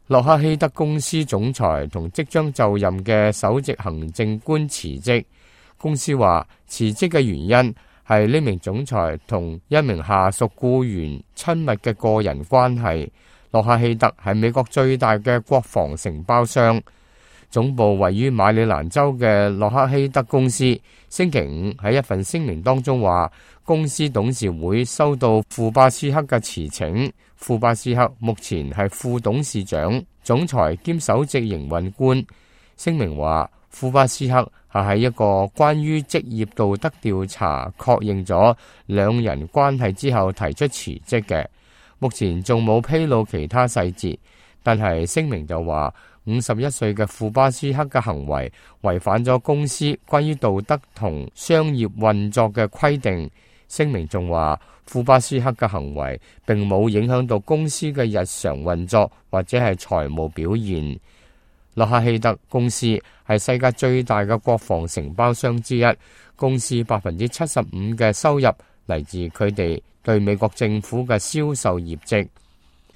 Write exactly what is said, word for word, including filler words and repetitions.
洛克希德公司總裁同即將就任嘅首席行政官辭職。公司話辭職嘅原因係呢名總裁同一名下屬僱員親密嘅個人關係。洛克希德係美國最大嘅國防承包商，總部位於馬里蘭州嘅洛克希德公司星期五喺一份聲明當中話，公司董事會收到庫巴斯克嘅辭請。庫巴斯克目前係副董事長、總裁兼首席營運官。聲明話，庫巴斯克係喺一個關於職業道德調查確認咗兩人關係之後提出辭職嘅。目前仲冇披露其他細節，但係聲明就話，五十一歲嘅庫巴斯克嘅行為違反咗公司關於道德同商業運作嘅規定。聲明仲話，庫巴斯克嘅行為並冇影響到公司嘅日常運作或者係財務表現。洛克希德公司係世界最大嘅國防承包商之一，公司百分之七十五嘅收入嚟自佢哋對美國政府嘅銷售業績。